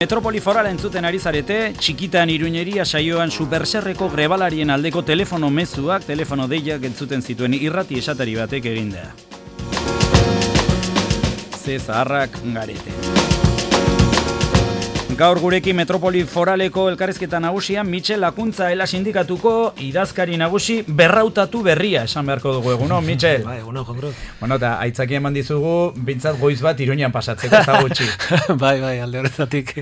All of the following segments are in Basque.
Metropoli Forala entzuten ari zarete, txikitan Iruñeria saioan superserreko grebalarien aldeko telefono mezuak, telefono deiak entzuten zituen irrati esatari batek egindea. Ze zaharrak garete. Gaur gurekin Metropoli Foraleko elkarrizketa nagusian Mitxel Lakuntza Ela sindikatuko idazkari nagusi berrautatu berria esan beharko dugu eguno, Mitxel. Bai, eguno, Jondro. Bueno, eta aitzaki eman dizugu, bintzat goiz bat Iruñan pasatzeko eta gutxi. bai, alde horretatik,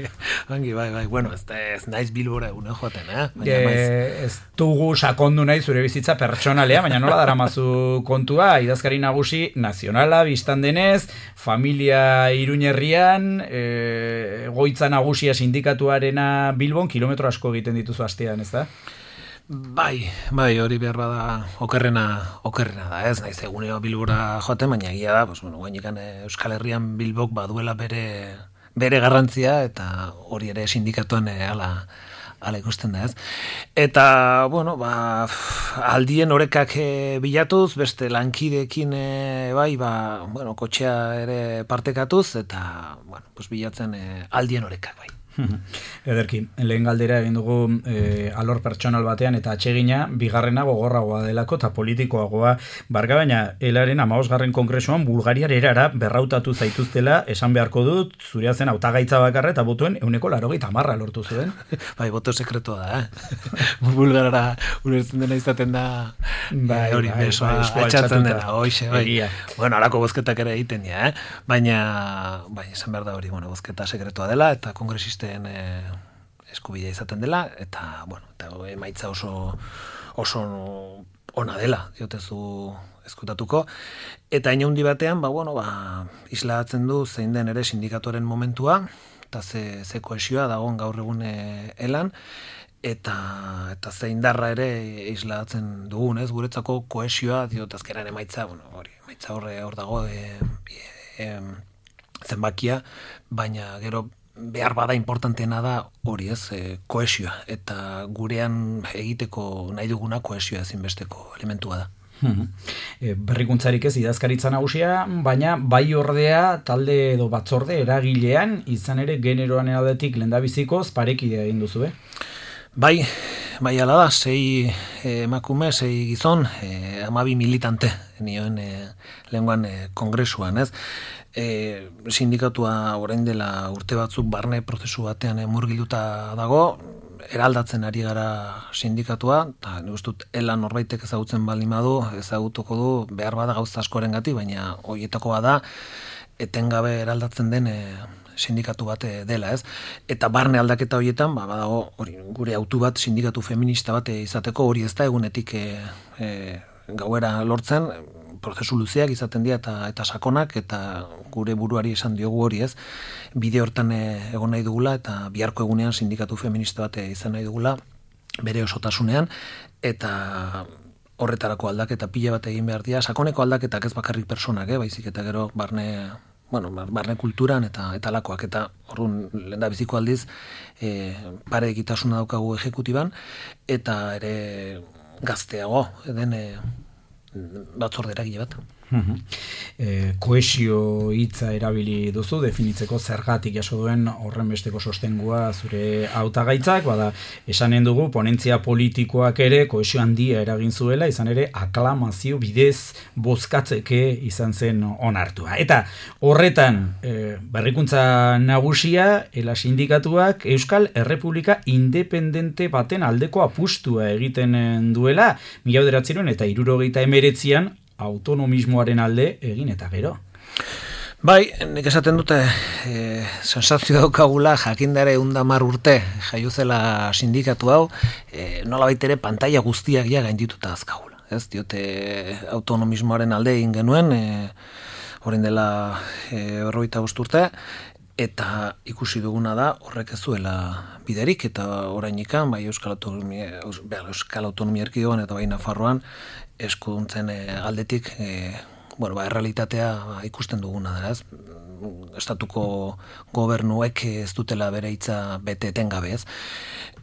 bai. Bueno, ez naiz Bilbora eguno joaten, Ez dugu sakondu nahi zure bizitza pertsonalea, baina nola daramazu kontua, idazkari nagusi nazionala, biztan denez, familia Iruñerrian, goitza nagusia sindikatuarena Bilbon, kilometro asko egiten dituzu astean, ez da? Bai, hori behar bada okerrena da, ez naiz egunero Bilbora joaten, baina egia da, guainikan Euskal Herrian Bilbok baduela bere garrantzia, eta hori ere sindikatuan ala ikusten da, ez? Eta, aldien orekak bilatuz, beste lankideekin kotxea ere partekatuz, eta, bilatzen aldien orekak, bai. Ederki, lehen galdera egin dugu alor pertsonal batean eta atsegina, bigarrena gogorragoa delako eta politikoagoa barga, baina Elaren 15. kongresuan Bulgariar erara berrautatu zaituztela, esan beharko dut, zurea zen hautagaitza bakarra eta botuen 190 lortu zuen. Bai, boto sekretua da, Bulgarara ulertzen dena izaten da, hori, besoa atxatzen dena, hoxe, bai. Bueno, alako bozketak ere egiten dira, baina, esan behar da hori, bozketa sekretua dela, eta kongresisten eskubidea izaten dela, eta emaitza oso ona dela, diotezu eskutatuko, eta inaundi batean, islatzen du zein den ere sindikatuaren momentua, eta ze kohesioa dagoen gaur egun elan, eta zein darra ere islatzen dugun, ez, guretzako kohesioa, diotazkeran emaitza, emaitza hor dago zenbakia, baina gero behar bada importanteena da hori, ez, kohesioa, eta gurean egiteko nahi duguna kohesioa ezinbesteko elementua da. Berrikuntzarik ez idazkaritza nagusia, baina bai ordea talde edo batzorde eragilean, izan ere generoan aldetik lehendabizikoz parekidea egin duzu, Bai, ala da, 6 emakume, 6 gizon, 12 militante, nioen lehenguan kongresuan, ez? Sindikatua orain dela urte batzuk barne prozesu batean murgilduta dago, eraldatzen ari gara sindikatua, eta nik uste dut Elan norbaitek ezagutzen baldin badu, ezagutuko du behar bada gauza askorengatik, baina horietako bada etengabe eraldatzen den sindikatu bat dela, ez? Eta barne aldaketa horietan, badago hori gure autu bat sindikatu feminista bat izateko, hori ez da egunetik gauera lortzen, prozesu luzeak izaten dira eta sakonak, eta gure buruari esan diogu hori, ez? Bide hortan egon nahi dugula, eta biharko egunean sindikatu feminista bat izan nahi dugula, bere osotasunean, eta horretarako aldaketa pila bat egin behar dira, sakoneko aldaketak ez bakarrik personak, baizik eta gero barne kulturan eta lakoak, eta orduan lehendabiziko aldiz pare egitasuna daukagu ejekutiban, eta ere gazteago den batzorde eragile bat. Kohesio hitza erabili duzu, definitzeko zergatik jaso duen horren besteko sostengua zure hautagaitzak, esanen dugu ponentzia politikoak ere kohesio handia eragin zuela, izan ere aklamazio bidez bozkatzeke izan zen onartua. Eta horretan berrikuntza nagusia, Ela sindikatuak Euskal Errepublika independente baten aldeko apustua egiten duela, 1979an autonomismoaren alde egin eta gero. Bai, nik esaten dute sensazio daukagula jakindare 110 urte jaiuzela sindikatu hau, nolabait ere pantaila guztiak ja gaindituta azkagula. Ez diote autonomismoaren alde egin genuen, orain dela 45 urte, eta ikusi duguna da horrek ez zuela biderik, eta orainikan bai Euskal Autonomia Erkidegoan eta bai Nafarroan eskuduntzen aldetik errealitatea ikusten duguna da, ez? Estatuko gobernuek ez dutela bere hitza bete etengabe, ez?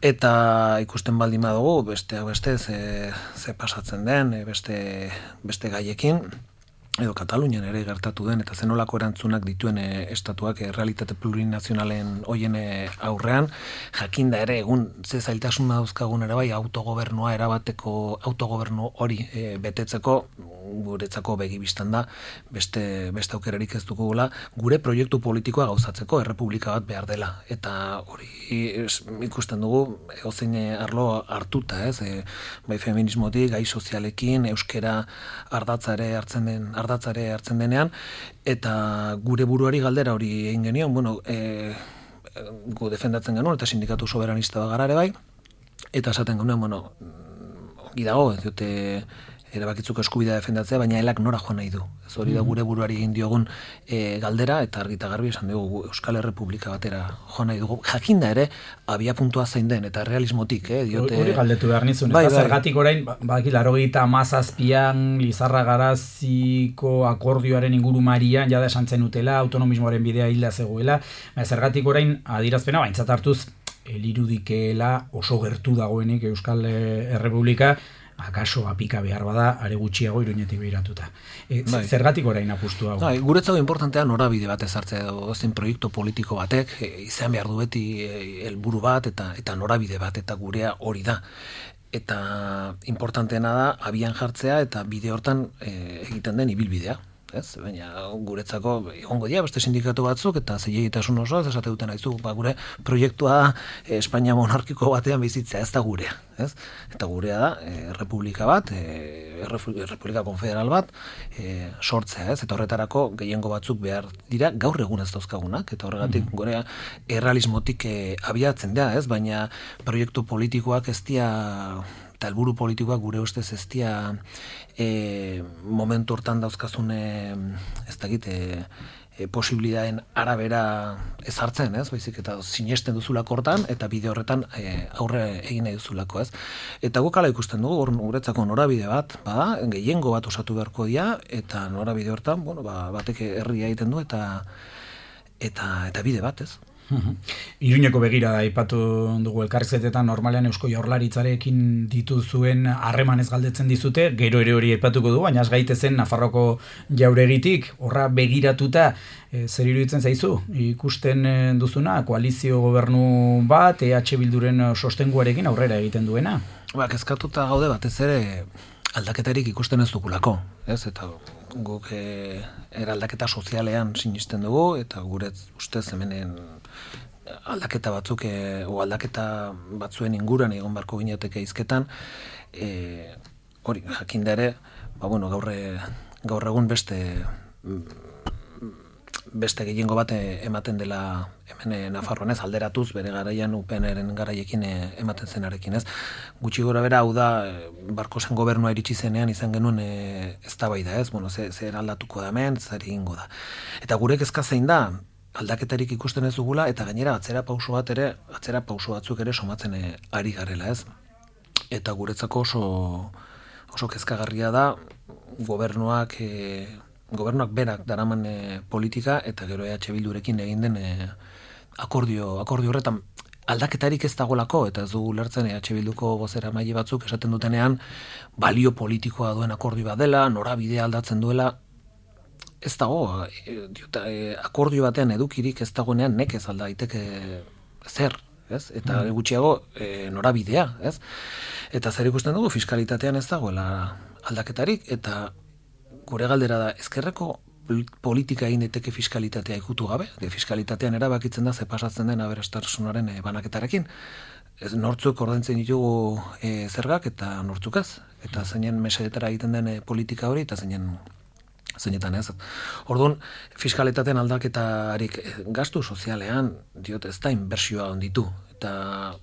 Eta ikusten baldin badugu beste ze pasatzen den, beste gaiekin, edo Katalunian ere gertatu den, eta zenolako erantzunak dituen estatuak realitate plurinazionalen hoien aurrean, jakinda ere egun ze zailtasun dauzkagun ere bai autogobernua erabateko autogobernu hori betetzeko guretzako begi bistan da beste aukerarik ez dugula gure proiektu politikoa gauzatzeko errepublika bat behar dela, eta hori ikusten dugu edozein arlo hartuta, bai feminismotik, gai sozialekin, euskera ardatzare hartzen denean, eta gure buruari galdera hori egin genion, gu defendatzen genuen, eta sindikatu soberanista bagara ere bai, eta esaten genuen, ongi dago, ez dute erabakitzeko eskubidea defendatzea, baina elak nora joan nahi du. Ez hori da gure buruari egin diogun galdera, eta argita garbi esan dugu Euskal Errepublika batera joan nahi dugu. Jakinda ere, abia puntua zein den, eta realismotik, diote... Hori galdetu behar nizun, ez da zergatik orain, baki, 97an Lizarra Garaziko akordioaren ingurumarian, jada esan zen utela, autonomismoaren bidea hilda zegoela, zergatik orain adirazpena, baintzat hartuz, elirudikeela oso gertu dagoenik Euskal Errepublika, akaso apika behar bada, are gutxiago Iruñetik behiratuta. Zergatik orain apustu hau? Guretzako importantea norabide bat ezartzea edo zen proiektu politiko batek, izan behar du beti helburu bat eta norabide bat, eta gurea hori da. Eta importanteena da, abian jartzea eta bide hortan egiten den ibilbidea. Baina guretzako egongo dira beste sindikatu batzuk eta zilegitasun oso esate duten aizu, gure proiektua Espainia monarkiko batean bizitzea, ez da gurea, eta gurea da errepublika bat, errepublika konfederal bat sortzea, eta horretarako gehiengo batzuk behar dira gaur egun ez dauzkagunak, eta horregatik gurea errealismotik abiatzen da, baina proiektu politikoak ez dira eta helburu politikoak gure ustez ez dira momentu hortan dauzkazun ez dakit posibilidaden arabera ezartzen, baizik eta sinesten duzulako hortan eta bide horretan aurre egin nahi duzulako, Eta guk hala ikusten dugu, guretzako norabide bat, gehiengo bat osatu beharko dira, eta norabide hortan, batek herria egiten du eta bide bat, Iruñeko begira da aipatu dugu elkarrizetetan normalean Eusko Jaurlaritzarekin dituzuen harremanez galdetzen dizute, gero ere hori aipatuko du, baina ez gaitezen Nafarroko jauregitik, horra begiratuta zer iruditzen zaizu? Ikusten duzuna, koalizio gobernu bat, EH Bilduren sostenguarekin aurrera egiten duena? Kezkatuta gaude batez ere aldaketarik ikusten ez dugulako, eta guk eraldaketa sozialean sinisten dugu, eta gure ustez hemenen aldaketa batzuk o aldaketa batzuen inguruan egon barko ginateke hizketan, hori jakinda ere, gaur egun beste gehiengo bat ematen dela hemen Nafarroan alderatuz bere garaian UPNren garaiekin ematen zenarekin, Gutxi gora bera, hau da, Barkosen gobernua iritsi zenean izan genuen eztabaida, zer aldatuko da hemen, zer egingo da. Eta gure kezka zein da, aldaketarik ikusten ez dugula, eta gainera atzera pauso batzuk ere somatzen ari garela, Eta guretzako oso kezkagarria da, gobernuak berak daraman politika eta gero EH Bildurekin egin den akordio horretan aldaketarik ez dagolako, eta ez dugu lertzen EH Bilduko bozeramaile batzuk esaten dutenean balio politikoa duen akordio bat dela, norabidea aldatzen duela, ez dago, akordio batean edukirik ez dagoenean nekez alda daiteke zer, eta gutxiago norabidea, Eta zer ikusten dugu, fiskalitatean ez dagoela aldaketarik, eta gure galdera da, ezkerreko politika egin daiteke fiskalitatea ikutu gabe, fiskalitatean erabakitzen da ze pasatzen den aberastasunaren banaketarekin. Nortzuk ordaintzen ditugu zergak eta nortzuk ez, eta zeinen mesedetara egiten den politika hori, eta zeinetan ez. Orduan, fiskalitatean aldaketarik gastu sozialean, ez da inbertsioa onditu, eta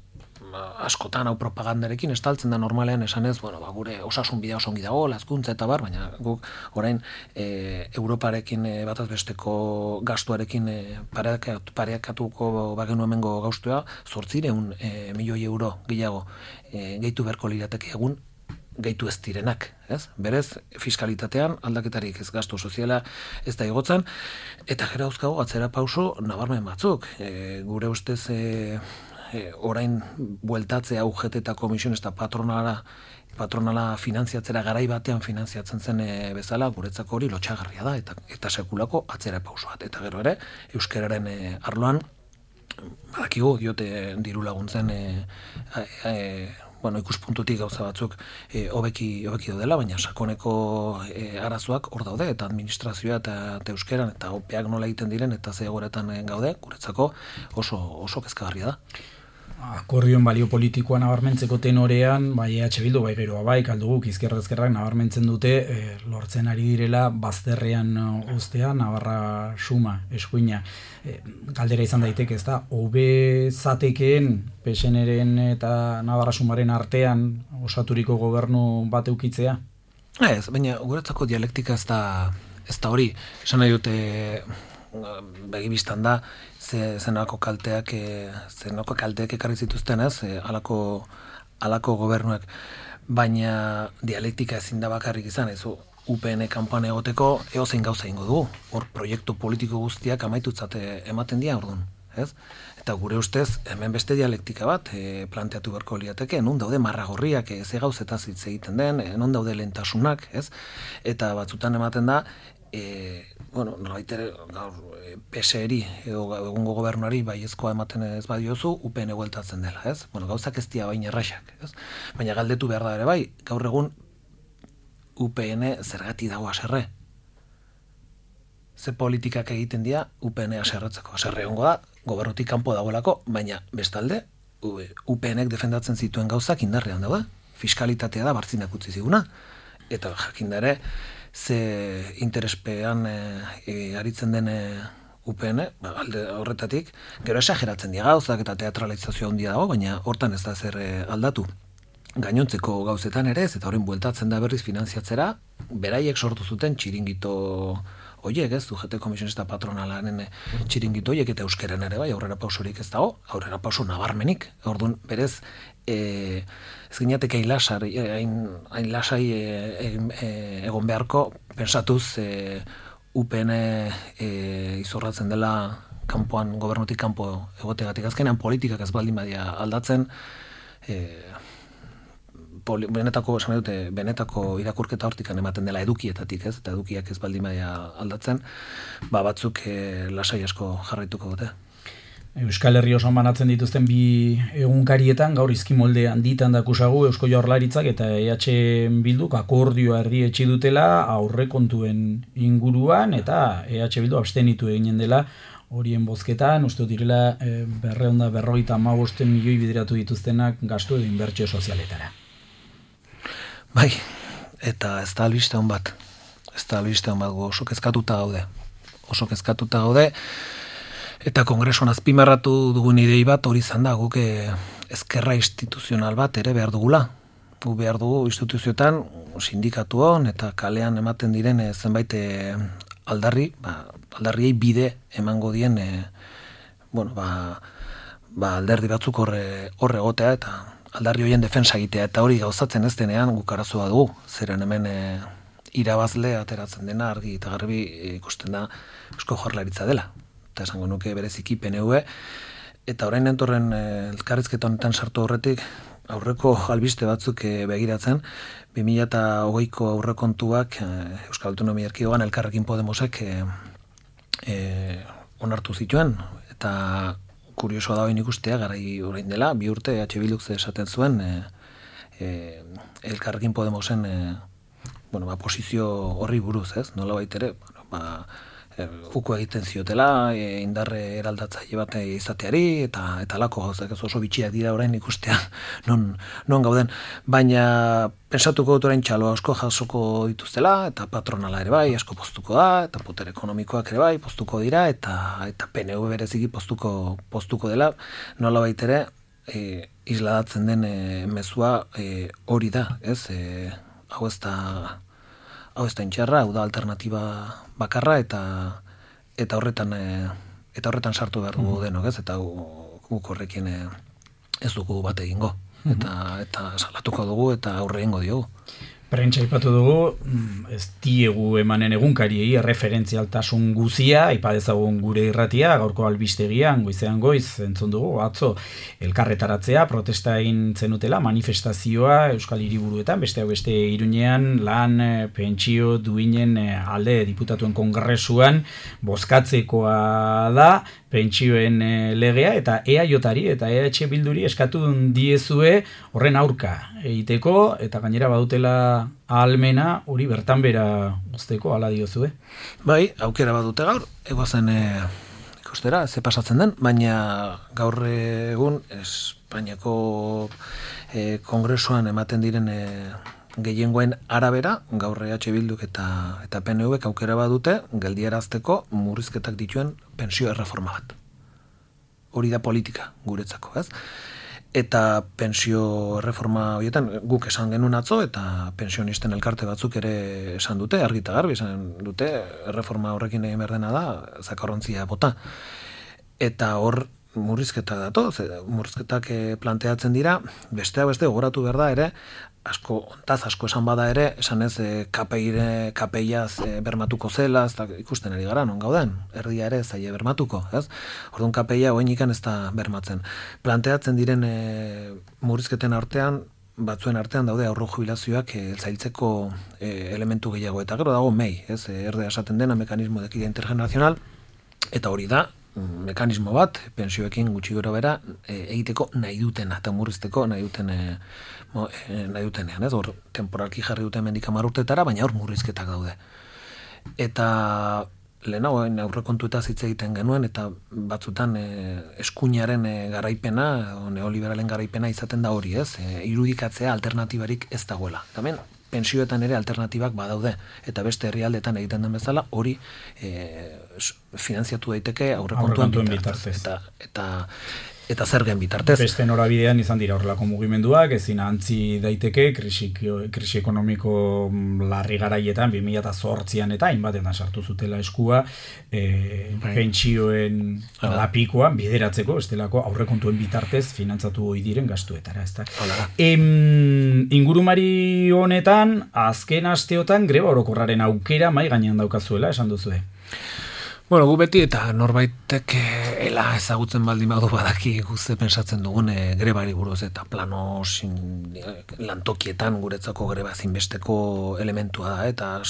askotan hau propagandarekin estaltzen da normalean esanez, gure osasun bidea oso ongi dago, lazkuntza eta bar, baina guk orain Europarekin bataz besteko gastuarekin pareakatuko bagenu hemengo gaustua, 800 milioi euro gehiago gehitu beharko lirateke egun gehitu ez direnak, Berez, fiskalitatean aldaketarik ez gastu soziala ez da igotzen, eta gero dauzkago atzera pauso nabarmen batzuk. Gure ustez orain bueltatzea UGT eta komisiones eta patronara patronala finantziatzera garai batean finantziatzen zen bezala, guretzako hori lotxagarria da, eta sekulako atzera pauso bat. Eta gero ere, euskararen arloan, badakigu, diote diru laguntzen ikuspuntutik gauza batzuk hobeki daudela, baina sakoneko arazoak hor daude, eta administrazioa eta euskeran, eta opeak nola egiten diren, eta ze egoeretan gaude, guretzako oso kezkagarria da. Akordioen balio politikoa nabarmentzeko tenorean, bai EH Bildu, bai geroa bai, kalduguk izkerrak nabarmentzen dute, lortzen ari direla bazterrean uztea, Navarra suma, eskuina. Galdera izan daiteke, ez da, hobe zatekeen PSNren eta Navarra sumaren artean osaturiko gobernu bat eukitzea? Ez, baina guretzako dialektika ez da hori, esan nahi dute begibistan da, zenako kalteak ekarri zituzten ez, alako gobernuak, baina dialektika ezin da bakarrik izan, ez UPN kanpoan egoteko eozein gauza ingo dugu, hor proiektu politiko guztiak amaitutzate ematen dira orduan, ez? Eta gure ustez, hemen beste dialektika bat planteatu beharko liateke, non daude marragorriak, ze gauzetaz hitz egiten den, non daude lehentasunak, ez? Eta batzutan ematen da, PSeri edo egungo gobernuari baiezkoa ematen ez badiozu, UPN bueltatzen dela, ez? Gauzak ez dira baina erraxak, ez? Baina galdetu behar da ere bai, gaur egun UPN zergati dago haserre. Ze politikak egiten dira UPN haserretzeko. Haserre hongo da, gobernutik kanpo dagoelako, baina bestalde, UPNek defendatzen zituen gauzak indarrean daude. Fiskalitatea da bartzinak utzi ziguna. Eta jakindare, ze interespean aritzen den UPN, alde horretatik, gero esageratzen dira gauzak eta teatralizazioa handia dago, baina hortan ez da zer aldatu. Gainontzeko gauzetan ere ez, eta horren bueltatzen da berriz finantziatzera, beraiek sortu zuten txiringito horiek, ez, UGT Komisionista Patronalaren txiringito horiek, eta euskeren ere bai, aurrera pausorik ez dago, aurrera pauso nabarmenik, orduan berez, ez ginateke hain lasai egon beharko, pensatuz UPN izorratzen dela kanpoan, gobernutik kanpo egotegatik. Azkenean politikak ez baldin badia aldatzen, benetako irakurketa hortikan ematen dela edukietatik, ez? Eta edukiak ez baldin badia aldatzen, batzuk lasai asko jarraituko dute. Euskal Herri osoan banatzen dituzten bi egunkarietan, gaur izkimolde handitan dakusagu Eusko Jaurlaritzak eta EH Bilduk akordioa erdietsi dutela aurrekontuen inguruan, eta EH Bildu abstenitu eginen dela horien bozketan, uste direla 255 milioi bideratu dituztenak gastu edo inbertsio sozialetara. Bai, eta ez da albiste hon bat. Oso kezkatuta gaude. Eta kongresuan azpimarratu dugun idei bat hori izan da, guk ezkerra instituzional bat ere behar dugula. Gu behar dugu instituzioetan, sindikatuon eta kalean ematen diren zenbait aldarriei bide emango dien alderdi batzuk horre egotea eta aldarri horien defensa egitea, eta hori gauzatzen ez denean guk arazoa dugu, zeren hemen irabazle ateratzen dena argi eta garbi ikusten da Eusko Jaurlaritza dela. Eta esango nuke bereziki PNV, eta orain entorren elkarrizketa honetan sartu horretik, aurreko albiste batzuk begiratzen, 2020ko aurrekontuak Euskal Autonomia Erkidegoan Elkarrekin Podemosek onartu zituen, eta kuriosoa da hori ikustea, garai orain dela, 2 urte EH Bilduk esaten zuen Elkarrekin Podemosen posizio horri buruz, ez? Nola baitere, uko egiten ziotela, indarre eraldatzaile bat izateari, eta alako gauzak oso bitxiak dira orain ikustea non gauden. Baina pensatuko dut orain txaloa asko jasoko dituztela, eta patronala ere bai, asko poztuko da, eta poter ekonomikoak ere bai, poztuko dira, eta PNV bereziki poztuko dela, nola baitere, isladatzen den mezua hori da, ez? Hau ez da intxarra, hau da alternatiba bakarra, eta horretan sartu behar dugu denok, ez? Eta guk horrekin ez dugu bat egingo. Eta salatuko dugu eta aurre egingo diogu. Prentsa aipatu dugu, ez diegu emanen egunkariei erreferentzialtasun guzia, aipa dezagun gure irratia, gaurko albistegian, goizean goiz, entzun dugu, atzo, elkarretaratzea, protesta egin zenutela, manifestazioa, Euskal Hiriburuetan, beste Iruñean, lan, pentsio, duinen alde diputatuen kongresuan, bozkatzekoa da, pentsioen legea, eta EAJari eta EH Bilduri eskatu diezue horren aurka egiteko, eta gainera badutela ahalmena hori bertan bera uzteko, hala diozue. Bai, aukera badute gaur, egoazen ikustera, ze pasatzen den, baina gaur egun Espainiako kongresuan ematen diren gehiengoen arabera, gaur EH Bilduk eta PNVk aukera badute geldiarazteko murrizketak dituen pensio erreforma bat. Hori da politika guretzako, ez? Eta pensio erreforma horietan guk esan genuen atzo eta pensionisten elkarte batzuk ere esan dute, argi eta garbi esan dute, erreforma horrekin egin behar dena da, zakarrontzia bota. Eta hor murrizketak datoz, murrizketak planteatzen dira, besteak beste gogoratu behar da ere, asko esan bada ere, esan ez KPI-az bermatuko zela, ez da ikusten ari gara, non gauden, erdia ere zaila bermatuko, ez? Orduan KPI-a oenikan ez da bermatzen. Planteatzen diren murrizketen artean, batzuen artean daude aurro jubilazioak zailtzeko elementu gehiago, eta gero dago MEI, ez? Erdea esaten dena mekanismo de equidad intergeneracional, eta hori da, mekanismo bat, pensioekin gutxi gora bera, egiteko nahi dutena, eta murrizteko nahi dutenean, ez? Hor, temporalki jarri duten mendik 10 urtetara, baina hor murrizketak daude. Eta lehenago aurrekontuetaz hitz egiten genuen, eta batzutan eskuinaren garaipena, neoliberalen garaipena izaten da hori, ez? Irudikatzea alternatibarik ez dagoela. Hemen pensioetan ere alternatibak badaude, eta beste herrialdetan egiten den bezala, hori finanziatu daiteke aurrekontuen bitartez. Eta zergen bitartez. Beste norabidean izan dira horrelako mugimenduak, ezin antzi daiteke krisi ekonomiko larri garaietan 2008an eta hainbatetan sartu zutela eskua pentsioen lapikoan bideratzeko, estelako aurrekontuen bitartez finantzatu ohi diren gastuetara, ezta. Ingurumari honetan azken asteotan greba orokorraren aukera mai gainean daukazuela, esan duzue. Bueno, gu beti eta norbaitek ela ezagutzen baldin badu badaki guzti pensatzen dugun grebari buruz eta plano lantokietan guretzako greba zinbesteko elementua da, eta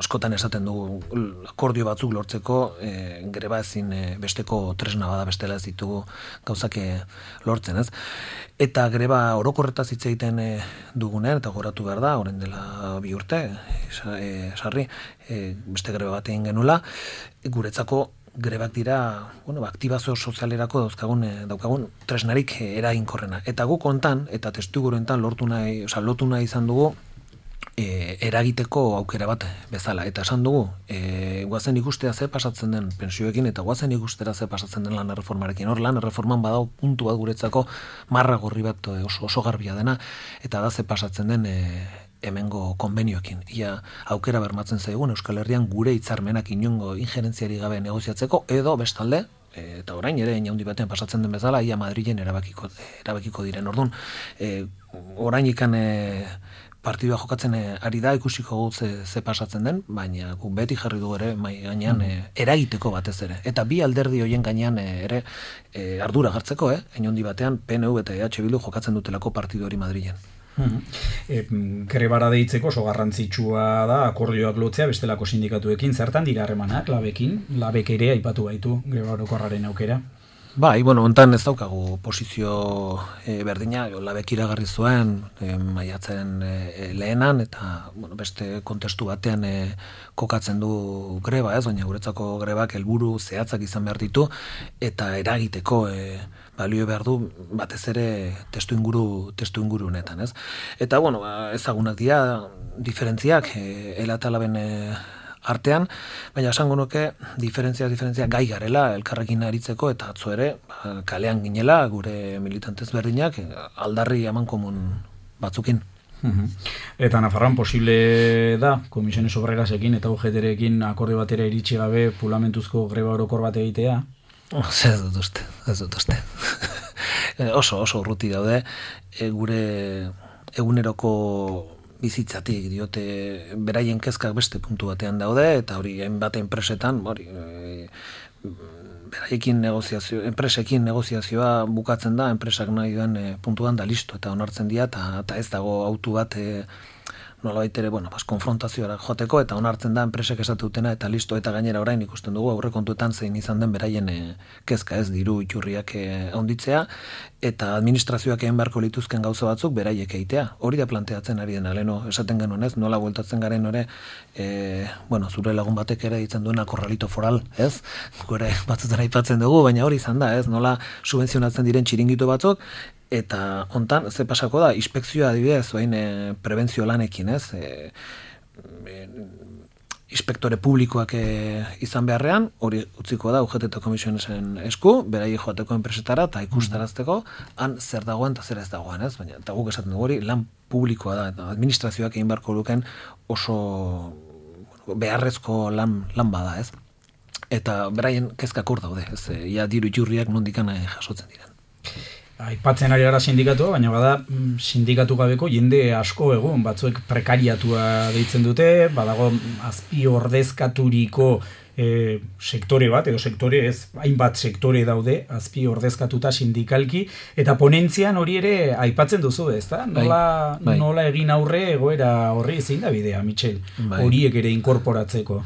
askotan esaten dugu akordio batzuk lortzeko greba ezin besteko tresna bada, bestela ez ditugu gauzak lortzen, ez? Eta greba orokorretaz hitz egiten dugunean, eta goratu behar da, orain dela 2 urte, sarri, beste greba bat egin genula, guretzako grebak dira, aktibazio sozialerako daukagun tresnarik eraginkorrena. Eta guk hontan, eta testuinguruetan lotu nahi izan dugu, eragiteko aukera bat bezala. Eta esan dugu, guazen ikustea ze pasatzen den pensioekin, eta guazen ikustera ze pasatzen den lan erreformarekin. Hor lan erreforman badau puntu bat guretzako marra gorri bat oso garbia dena, eta da ze pasatzen den hemengo konbenioekin. Ia aukera bermatzen zaigun Euskal Herrian gure hitzarmenak inongo injerentziari gabe negoziatzeko, edo bestalde, eta orain ere handi batean pasatzen den bezala, ia Madrilen erabakiko diren. Orduan, orain ikan partidua jokatzen ari da, ikusiko ze pasatzen den, baina gu beti jarri du ere mai gainean eragiteko batez ere. Eta bi alderdi horien gainean ere ardura hartzeko, handi batean PNV eta EH Bildu jokatzen dutelako partidu hori Madrilen. Grebara deitzeko oso garrantzitsua da akordioak lotzea bestelako sindikatuekin, zertan dira harremanak labek ere aipatu baitu greba orokorraren aukera. Bai, hontan ez daukagu posizio berdina, labek iragarri zuen maiatzen lehenan, eta beste kontestu batean kokatzen du greba, baina guretzako grebak helburu zehatzak izan behar ditu, eta eragiteko balio behar du batez ere testuinguru honetan, ez? Eta, ezagunak dira diferentziak ela eta laben artean, baina esango nuke diferentzia gai garela elkarrekin aritzeko, eta atzo ere kalean ginela gure militantez berdinak aldarri amankomun batzukin. Eta Nafarroan posible da Komisiones Obrerasekin eta UGT-rekin akordio batera iritsi gabe pulamentuzko greba orokor bat egitea? Ez dut uste. Oso urruti daude gure eguneroko bizitzatik, diote beraien kezkak beste puntu batean daude, eta hori hainbat enpresetan, enpresekin negoziazioa bukatzen da, enpresak nahi duen puntuan da listo, eta onartzen dira, eta ez dago autu bat nolabait ere, konfrontazioara joateko, eta onartzen da enpresek esatutena, eta listo, eta gainera orain ikusten dugu, aurrekontuetan zein izan den beraien kezka ez diru iturriak handitzea, eta administrazioak egin beharko lituzken gauza batzuk beraiek egitea. Hori da planteatzen ari dena, leno, esaten genuen ez, nola bueltatzen garen ore, zure lagun batek ere ditzen duena korralito foral, ez? Gure batzutan aipatzen dugu, baina hori izan da, ez? Nola subvenzionatzen diren txiringito batzuk, eta hontan, ze pasako da, inspekzioa adibidez, prebentzio lanekin, ez? Inspektore publikoak izan beharrean, hori utziko da UGT eta Komisionesen esku, berai joateko enpresetara eta ikustarazteko, han zer dagoen eta zer ez dagoen, ez? Baina, eta guk esaten dugu hori, lan publikoa da, eta administrazioak egin beharko luken oso beharrezko lan bada, ez? Eta beraien kezkak hor daude, ez? Ia diru iturriak nondikan jasotzen diren. Aipatzen ari gara sindikatua, baina bada sindikatu gabeko jende asko egun, batzuek prekariatua deitzen dute, badago azpi ordezkaturiko sektore bat, edo sektore ez, hainbat sektore daude, azpi ordezkatuta sindikalki, eta ponentzian hori ere aipatzen duzu, ez da? Nola egin aurre egoera horri zein da bidea, Michel, horiek ere inkorporatzeko?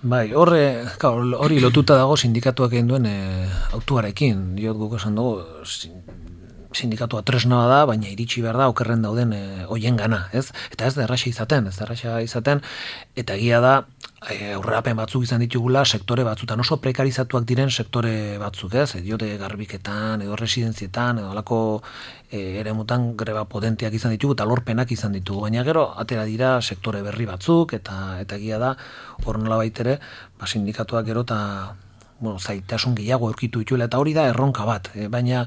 Hori lotuta dago sindikatuak egin duen autuarekin. Diot guk esan dugu, sindikatua tresna da, baina iritsi behar da okerren dauden hoien gana, ez? Eta ez da erraxa izaten, eta egia da, aurrerapen batzuk izan ditugula, sektore batzutan oso prekarizatuak diren sektore batzuk, ez? Diote garbiketan, edo residentzietan, edo alako eremutan greba potenteak izan ditugu, eta lorpenak izan ditugu, baina gero, atera dira sektore berri batzuk, eta egia da, hor nola baitere, sindikatuak gero eta zaitasun gehiago aurkitu dituela, eta hori da erronka bat, baina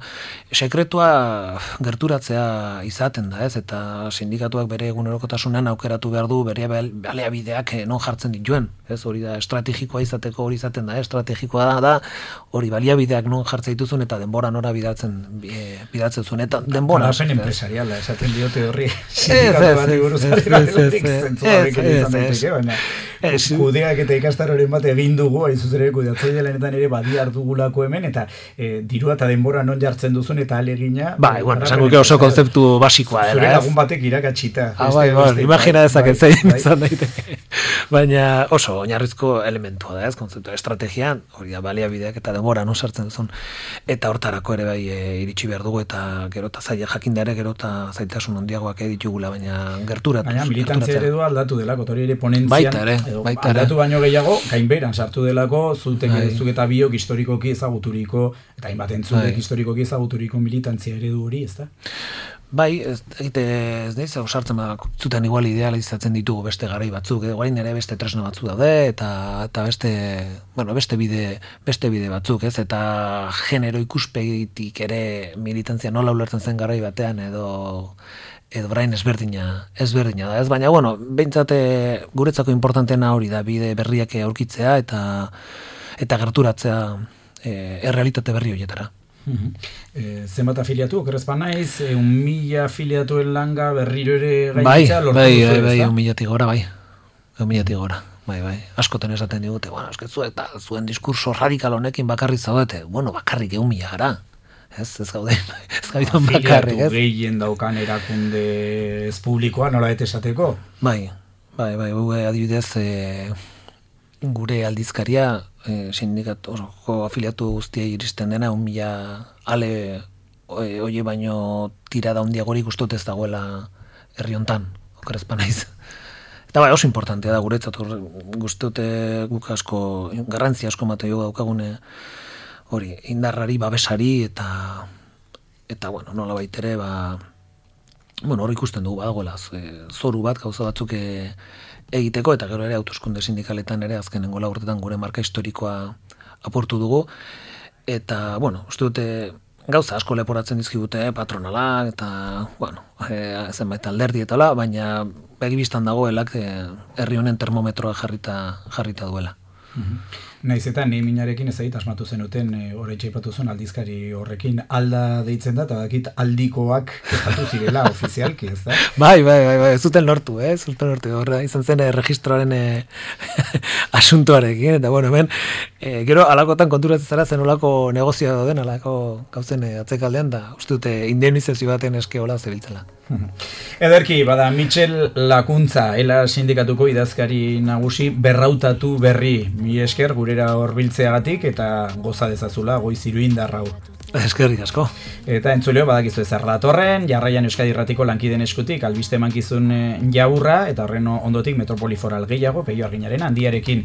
sekretua gerturatzea izaten da, ez? Eta sindikatuak bere egunerokotasunean aukeratu behar du bere baliabideak non jartzen dituen, ez? Hori da estrategikoa izateko hori izaten da, estrategikoa da hori baliabideak non jartzen dituzun eta denbora nora bidatzen zuen, eta denbora garapen empresariala esaten diote horri sindikatu bat iguruz kudeak eta ikastaroren bat egin dugu, hain zuzen ere kudeatzaile lanetan ere badiar dugulako hemen, eta dirua eta denbora non jartzen duzun eta alegina. Esango oso konzeptu basikoa dela. Zure lagun batek irakatxita. Imagina dezaket zein izan daiteke. Baina oso oinarrizko elementua da, ez, konzeptu estrategian, hori da baliabideak eta denbora non sartzen duzun. Eta hortarako ere bai iritsi behar dugu, eta gero eta zaila jakindare, gero eta zaitasun handiagoak ditugula, baina gerturatu. Baina militantzia eredua aldatu delako, hori ere ponentzian. Aldatu baino gehiago, gainberan sartu delako, zuk eta biok historikoki ezaguturiko, eta hainbat entzulek historikoki ezaguturiko militantzia eredu hori, ez da? Bai, ez naiz, sartzen zuten igual idealizatzen ditugu beste garai batzuk, guain ere beste tresna batzuk daude, eta beste bide batzuk, ez? Eta genero ikuspegitik ere militantzia nola ulertzen zen garai batean, edo brain ezberdina da, ez? Baina, behintzat guretzako importantena hori da, bide berriak aurkitzea eta gerturatzea errealitate berri horietara. Zenbat afiliatu, okerrezpan naiz, 1.000 afiliatuen langa berriro ere gainditzea lortu duzu, ez da? Bai, 1.000 gora. Bai. Askoten esaten digute, eskezu eta zuen diskurso radikal honekin bakarrik zaudete, bakarrik 1.000 gara. Ez gaude, ez gaitan bakarrik, ez? Afiliatu gehien daukan erakunde ez publikoa, nola esateko? Bai, adibidez, gure aldizkaria, sindikatuko afiliatu guztiei iristen dena, 1.000 ale oie baino tirada handiagorik uste ez dagoela herri hontan, okerrezpan naiz. Eta oso importantea da guretzat, guzti guk asko, garrantzia asko mate jo daukagune, hori, indarrari, babesari, eta nola baitere, hori ikusten dugu badagoela, zoru bat, gauza batzuk egiteko, eta gero ere hauteskunde sindikaletan ere azkenengo urtetan gure marka historikoa aportu dugu, eta, uste dute gauza asko leporatzen dizkigute patronala, eta, zenbait alderdi eta la, baina begibistan dagoelak herri honen termometroa jarrita duela. Naiz eta neiminarekin ez asmatu zenuten oraitxe aipatu zuen aldizkari horrekin alda deitzen da, eta dakit aldikoak kexatu zirela ofizialki, ez da? Bai, ez zuten lortu, zuten lortu. Horra izan zen registroaren asuntoarekin, eta bueno, hemen, gero alakotan konturatzen zara zen olako negozioa dauden, alako gauzen atzekaldean, da uste dute indemnizazio baten eske hola zebiltzela. Ederki, bada, Michel Lakuntza, ela sindikatuko idazkari nagusi, berrautatu berri, mi esker gurera horbiltzeagatik, eta goza dezazula, goiz iruindarrau. Eskerrik asko. Eta entzuleo, badakizu ez datorren, jarraian Euskadi Irratiko lankideen eskutik, albiste mankizun jaburra, eta horren ondotik Metropoli Foral gehiago, Peio Arginaren handiarekin.